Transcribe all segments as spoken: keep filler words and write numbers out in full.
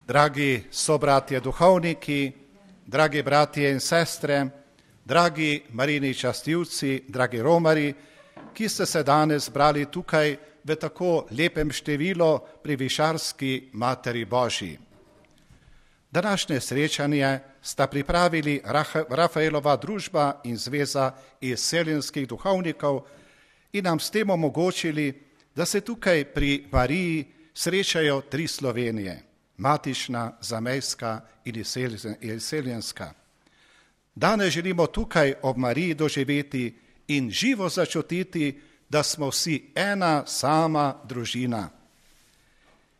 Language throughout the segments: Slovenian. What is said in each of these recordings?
Dragi sobratje duhovniki, dragi bratje in sestre, dragi Marijini častilci, dragi romari, ki ste se danes zbrali tukaj v tako lepem številu pri Višarski Materi Božji. Današnje srečanje sta pripravili Rafaelova družba in zveza izseljenskih duhovnikov in nam s tem omogočili, da se tukaj pri Mariji srečajo tri Slovenije, matična, zamejska in izseljenska. Danes želimo tukaj ob Mariji doživeti in živo začutiti, da smo vsi ena sama družina.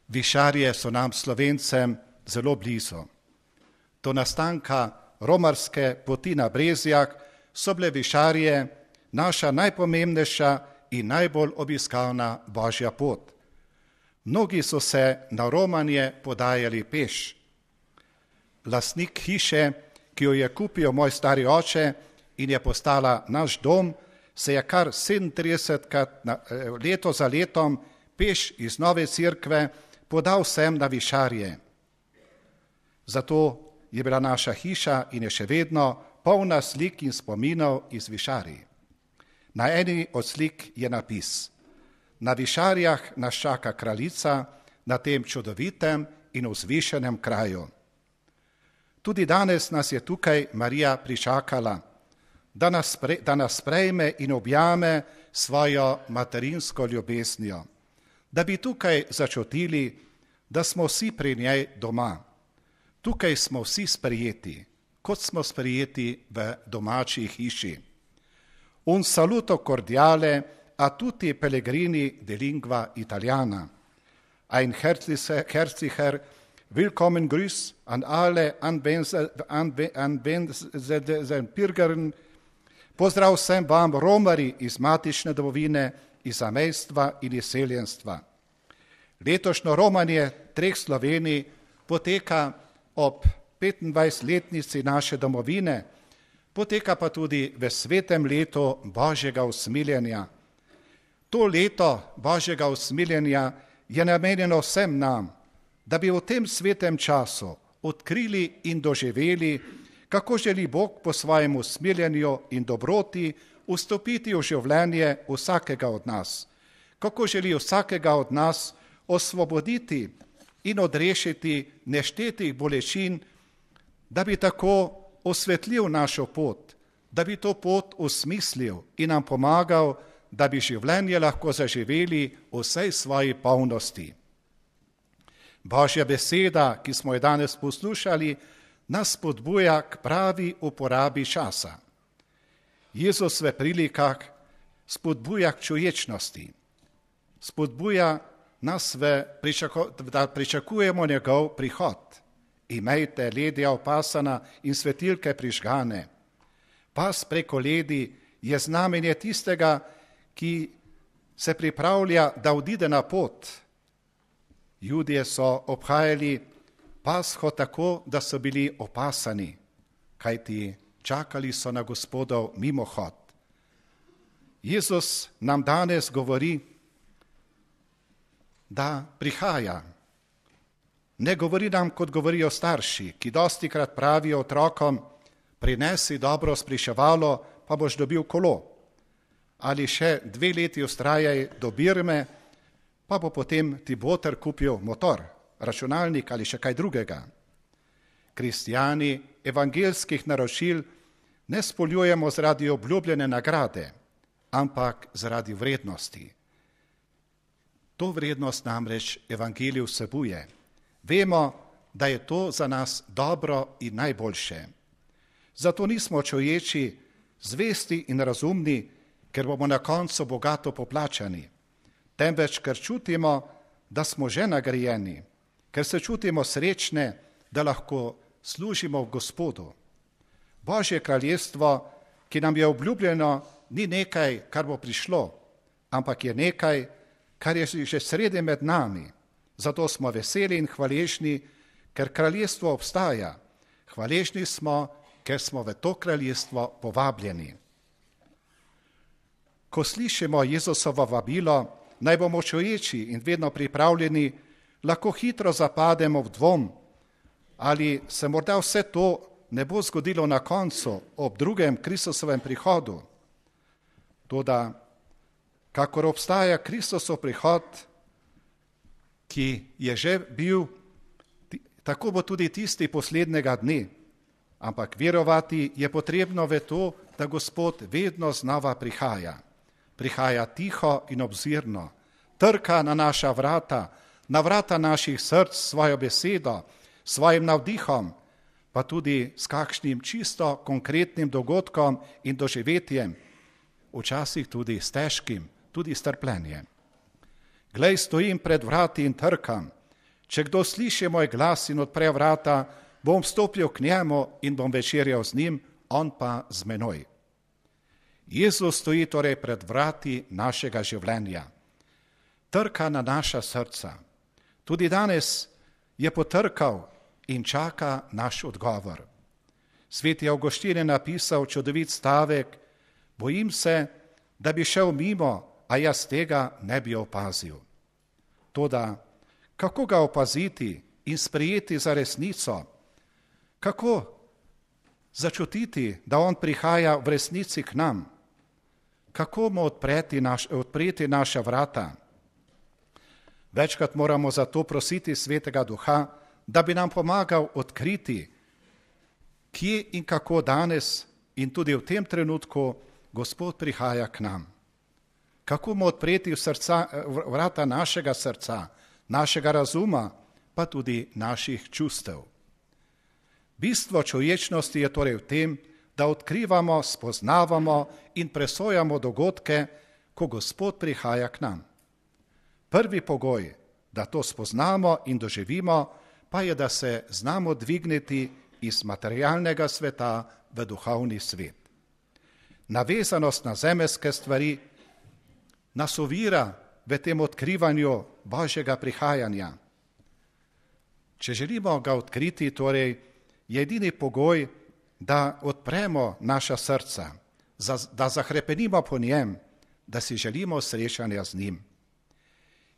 Višarje so nam Slovencem zelo blizu. Do nastanka romarske poti na Brezjah so bile Višarje naša najpomembnejša in najbolj obiskavna Božja pot. Mnogi so se na romanje podajali peš. Lastnik hiše, ki jo je kupil moj stari oče in je postala naš dom, se je kar sedemintridesetkrat leto za letom peš iz Nove Cerkve podal sem na Višarje. Zato je bila naša hiša in je še vedno polna slik in spominov iz Višarij. Na eni od slik je napis: Na Višarjah nas čaka kraljica na tem čudovitem in vzvišenem kraju. Tudi danes nas je tukaj Marija pričakala, da nas, pre, da nas sprejme in objame svojo materinsko ljubeznijo, da bi tukaj začutili, da smo vsi pri njej doma. Tukaj smo vsi sprejeti, kot smo sprejeti v domači hiši. Un saluto cordiale a tutti pellegrini de lingua italiana. Ein herzlicher willkommen Gruß an alle anwesenden Pilgern. Pozdrav vsem vam, romari iz matične domovine, iz zamejstva in izseljenstva. Letošnjo romanje treh Slovenij poteka ob petindvajsetletnici naše domovine, poteka pa tudi v svetem letu Božjega usmiljenja. To leto Božjega usmiljenja je namenjeno vsem nam, da bi v tem svetem času odkrili in doživeli, kako želi Bog po svojem usmiljenju in dobroti vstopiti v življenje vsakega od nas, kako želi vsakega od nas osvoboditi in odrešiti neštetih bolečin, da bi tako osvetlil našo pot, da bi to pot osmislil in nam pomagal, da bi življenje lahko zaživeli v vsej svoji polnosti. Božja beseda, ki smo jo danes poslušali, nas spodbuja k pravi uporabi časa. Jezus v prilikah spodbuja k čuječnosti, spodbuja nas, v pričako, da pričakujemo njegov prihod. Imejte ledja opasana in svetilke prižgane. Pas preko ledi je znamenje tistega, ki se pripravlja, da odide na pot. Judje so obhajali Pasho tako, da so bili opasani, kajti čakali so na Gospodov mimohod. Jezus nam danes govori, da prihaja. Ne govori nam, kot govorijo starši, ki dostikrat pravijo otrokom: prinesi dobro spričevalo, pa boš dobil kolo. Ali še dve leti vztrajaj do Birme, pa bo potem ti boter kupil motor, računalnik ali še kaj drugega. Kristjani evangelskih naročil ne spoljujemo zaradi obljubljene nagrade, ampak zaradi vrednosti. To vrednost namreč evangelij vsebuje. Vemo, da je to za nas dobro in najboljše. Zato nismo čuječi, zvesti in razumni, ker bomo na koncu bogato poplačani, temveč ker čutimo, da smo že nagrajeni, ker se čutimo srečne, da lahko služimo v Gospodu. Božje kraljestvo, ki nam je obljubljeno, ni nekaj, kar bo prišlo, ampak je nekaj, kar je že sredi med nami. Zato smo veseli in hvaležni, ker kraljestvo obstaja. Hvaležni smo, ker smo v to kraljestvo povabljeni. Ko slišimo Jezusovo vabilo, naj bomo čuječi in vedno pripravljeni, lahko hitro zapademo v dvom, ali se morda vse to ne bo zgodilo na koncu, ob drugem Kristusovem prihodu. Toda, kakor obstaja Kristusov prihod, ki je že bil, tako bo tudi tisti poslednjega dne. Ampak verovati je potrebno v to, da Gospod vedno znova prihaja. Prihaja tiho in obzirno, trka na naša vrata, na vrata naših src svojo besedo, svojim navdihom, pa tudi s kakšnim čisto konkretnim dogodkom in doživetjem, včasih tudi s težkim, tudi s trpljenjem. Glej, stojim pred vrati in trkam. Če kdo sliši moj glas in odpre vrata, bom vstopil k njemu in bom večerjal z njim, on pa z menoj. Jezus stoji torej pred vrati našega življenja. Trka na naša srca. Tudi danes je potrkal in čaka naš odgovor. Sveti Avguštin je napisal čudovit stavek: bojim se, da bi šel mimo, a jaz tega ne bi opazil. Toda, kako ga opaziti in sprejeti za resnico? Kako začutiti, da on prihaja v resnici k nam? Kako mu odpreti, naš, odpreti naša vrata? Večkrat moramo zato prositi Svetega Duha, da bi nam pomagal odkriti, kje in kako danes in tudi v tem trenutku Gospod prihaja k nam. Kako mu odpreti v srca, vrata našega srca, našega razuma, pa tudi naših čustev. Bistvo človečnosti je torej v tem, da odkrivamo, spoznavamo in presojamo dogodke, ko Gospod prihaja k nam. Prvi pogoj, da to spoznamo in doživimo, pa je, da se znamo dvigniti iz materialnega sveta v duhovni svet. Navezanost na zemeljske stvari nas ovira v tem odkrivanju Božjega prihajanja. Če želimo ga odkriti, torej je edini pogoj, da odpremo naša srca, da zahrepenimo po njem, da si želimo srečanja z njim.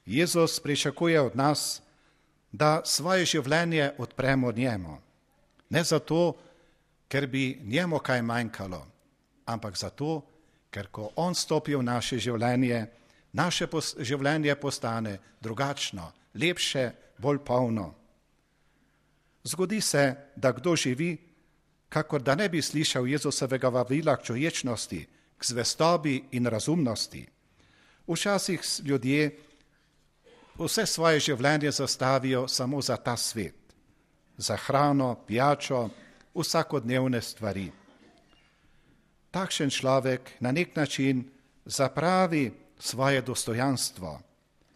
Jezus pričakuje od nas, da svoje življenje odpremo njemu. Ne zato, ker bi njemu kaj manjkalo, ampak zato, ker ko on stopi v naše življenje, naše življenje postane drugačno, lepše, bolj polno. Zgodi se, da kdo živi, kakor da ne bi slišal Jezusovega vabila k človečnosti, k zvestobi in razumnosti. Včasih ljudje vse svoje življenje zastavijo samo za ta svet, za hrano, pijačo, vsakodnevne stvari. Takšen človek na nek način zapravi svoje dostojanstvo,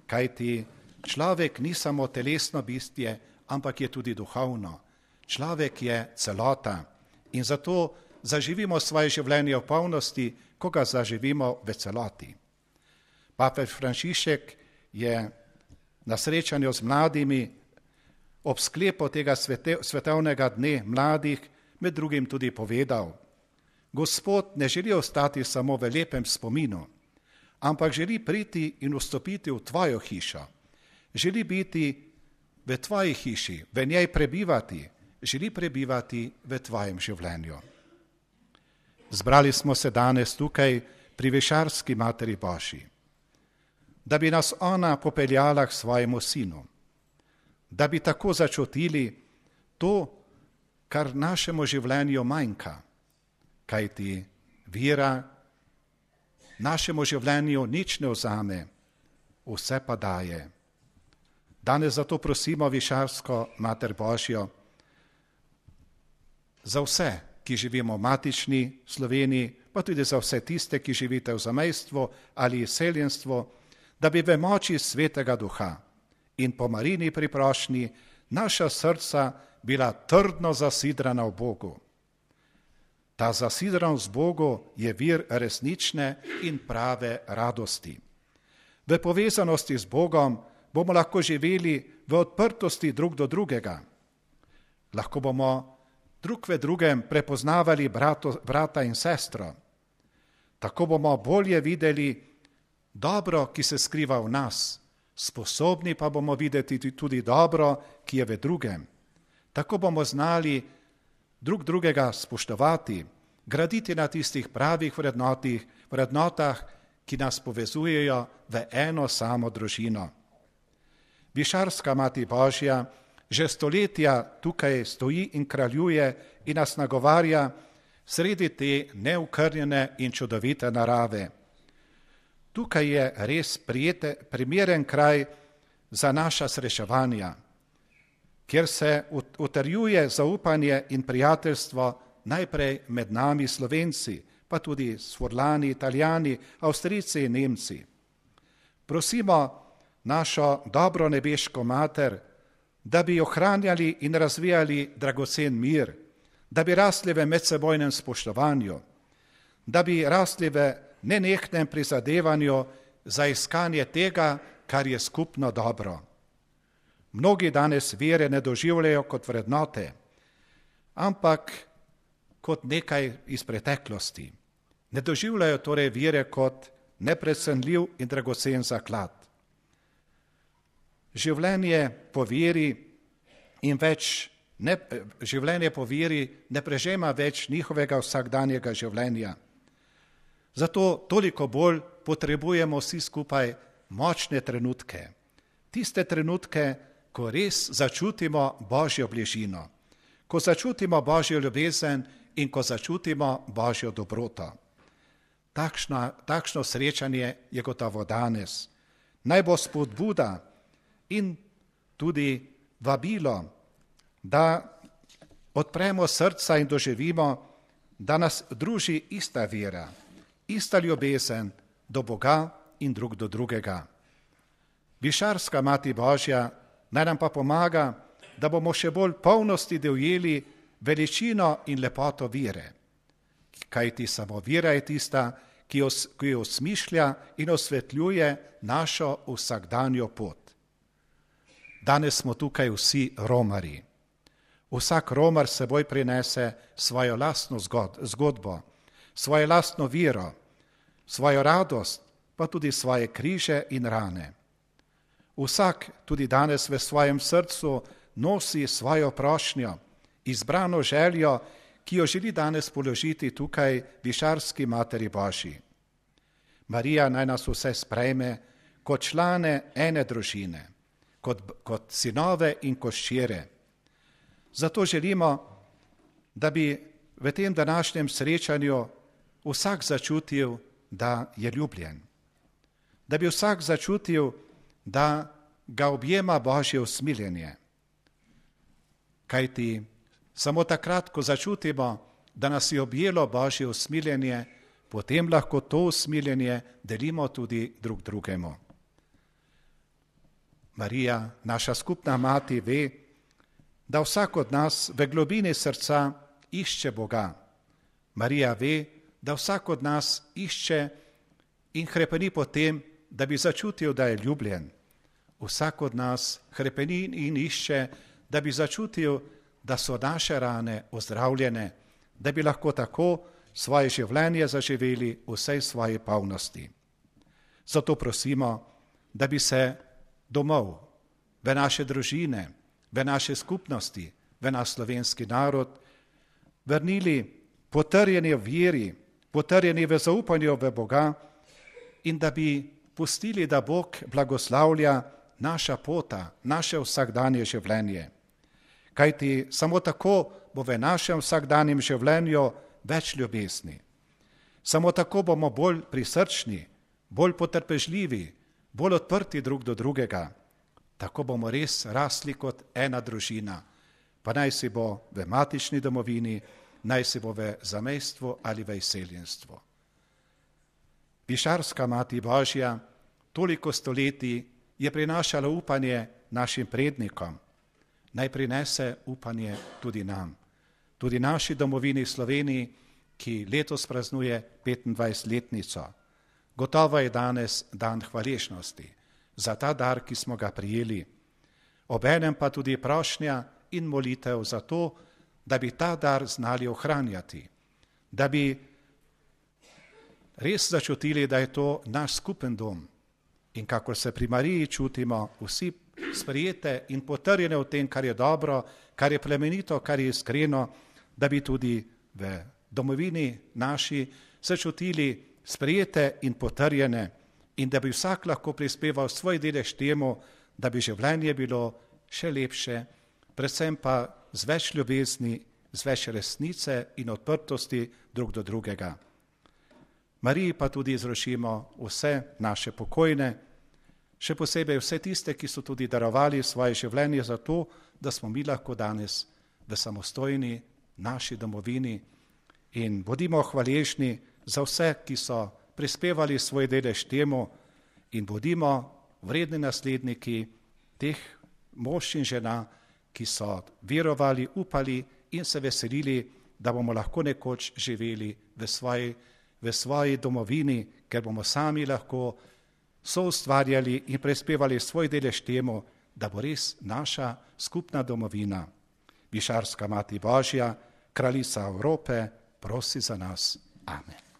kajti človek ni samo telesno bitje, ampak je tudi duhovno. Človek je celota in zato zaživimo svoje življenje v polnosti, ko ga zaživimo v celoti. Papež Frančišek je na srečanju z mladimi ob sklepu tega svetovnega dne mladih med drugim tudi povedal: Gospod ne želi ostati samo v lepem spominu, ampak želi priti in vstopiti v tvojo hišo. Želi biti v tvoji hiši, v njej prebivati, želi prebivati v tvojem življenju. Zbrali smo se danes tukaj pri Višarski Materi Božji, da bi nas ona popeljala k svojemu sinu, da bi tako začutili to, kar našemu življenju manjka, kajti vera našemu življenju nič ne vzame, vse pa daje. Danes zato prosimo Višarsko Mater Božjo za vse, ki živimo v matični Sloveniji, pa tudi za vse tiste, ki živite v zamejstvu ali izseljenstvu, da bi v moči Svetega Duha in po Marini priprošnji naša srca bila trdno zasidrana v Bogu. Ta zasidranost v Bogu je vir resnične in prave radosti. V povezanosti z Bogom bomo lahko živeli v odprtosti drug do drugega. Lahko bomo drug v drugem prepoznavali brato, brata in sestro. Tako bomo bolje videli dobro, ki se skriva v nas, sposobni pa bomo videti tudi dobro, ki je v drugem. Tako bomo znali drug drugega spoštovati, graditi na tistih pravih vrednotih, vrednotah, ki nas povezujejo v eno samo družino. Višarska Mati Božja že stoletja tukaj stoji in kraljuje in nas nagovarja sredi te neokrnjene in čudovite narave. Tukaj je res prijete, primeren kraj za naša srečevanja, kjer se utrjuje zaupanje in prijateljstvo najprej med nami Slovenci, pa tudi Svorlani, Italijani, Avstrijci in Nemci. Prosimo našo dobro nebeško mater, da bi ohranjali in razvijali dragocen mir, da bi rasli v medsebojnem spoštovanju, da bi rasli v nenehnem prizadevanju za iskanje tega, kar je skupno dobro. Mnogi danes vere ne doživljajo kot vrednote, ampak kot nekaj iz preteklosti. Ne doživljajo torej vere kot neprecenljiv in dragocen zaklad. Življenje po veri in več ne, življenje po veri ne prežema več njihovega vsakdanjega življenja. Zato toliko bolj potrebujemo vsi skupaj močne trenutke. Tiste trenutke, ko res začutimo Božjo bližino, ko začutimo Božjo ljubezen in ko začutimo Božjo dobroto. Takšno, takšno srečanje je gotovo danes. Naj bo spodbuda in tudi vabilo, da odpremo srca in doživimo, da nas druži ista vera, ista ljubezen do Boga in drug do drugega. Višarska Mati Božja naj nam pa pomaga, da bomo še bolj polnosti dojeli veličino in lepoto vere. Kajti samo vera je tista, ki jo, ki jo osmišlja in osvetljuje našo vsakdanjo pot. Danes smo tukaj vsi romarji. Vsak romar seboj prinese svojo lastno zgodbo, svojo lastno vero, svojo radost, pa tudi svoje križe in rane. Vsak tudi danes v svojem srcu nosi svojo prošnjo, izbrano željo, ki jo želi danes položiti tukaj Višarski Materi Božji. Marija naj nas vse sprejme kot člane ene družine, kot, kot sinove in kot hčere. Zato želimo, da bi v tem današnjem srečanju vsak začutil, da je ljubljen. Da bi vsak začutil, da ga objema Božje usmiljenje. Kajti samo takrat, ko začutimo, da nas je objelo Božje usmiljenje, potem lahko to usmiljenje delimo tudi drug drugemu. Marija, naša skupna mati, ve, da vsak od nas v globini srca išče Boga. Marija ve, da vsak od nas išče in hrepeni po tem, da bi začutil, da je ljubljen. Vsak od nas hrepeni in išče, da bi začutil, da so naše rane ozdravljene, da bi lahko tako svoje življenje zaživeli v vsej svoji polnosti. Zato prosimo, da bi se domov, v naše družine, v naše skupnosti, v naš slovenski narod vrnili potrjeni v veri, potrjeni v zaupanju v Boga in da bi pustili, da Bog blagoslavlja naša pota, naše vsakdanje življenje. Kajti samo tako bo v našem vsakdanjem življenju več ljubezni. Samo tako bomo bolj prisrčni, bolj potrpežljivi, bolj odprti drug do drugega. Tako bomo res rasli kot ena družina, pa naj si bo v matični domovini, naj si bo v zamejstvu ali v izseljenstvu. Višarska Mati Božja toliko stoletij je prinašala upanje našim prednikom. Naj prinese upanje tudi nam, tudi naši domovini Sloveniji, ki letos praznuje petindvajsetletnico. Gotovo je danes dan hvaležnosti za ta dar, ki smo ga prijeli. Obenem pa tudi prošnja in molitev za to, da bi ta dar znali ohranjati, da bi res začutili, da je to naš skupen dom. In kakor se pri Mariji čutimo vsi sprijete in potrjene v tem, kar je dobro, kar je plemenito, kar je iskreno, da bi tudi v domovini naši se čutili sprejete in potrjene in da bi vsak lahko prispeval svoj delež temu, da bi življenje bilo še lepše, predvsem pa z več ljubezni, z več resnice in odprtosti drug do drugega. Mariji pa tudi izročimo vse naše pokojne, še posebej vse tiste, ki so tudi darovali svoje življenje za to, da smo mi lahko danes v samostojni naši domovini, in bodimo hvaležni za vse, ki so prispevali svoj delež temu, in bodimo vredni nasledniki teh mož in žena, ki so verovali, upali in se veselili, da bomo lahko nekoč živeli v svoji, v svoji domovini, ker bomo sami lahko soustvarjali in prispevali svoj delež temu, da bo res naša skupna domovina. Višarska Mati Božja, Kraljica Evrope, prosi za nas. Amen.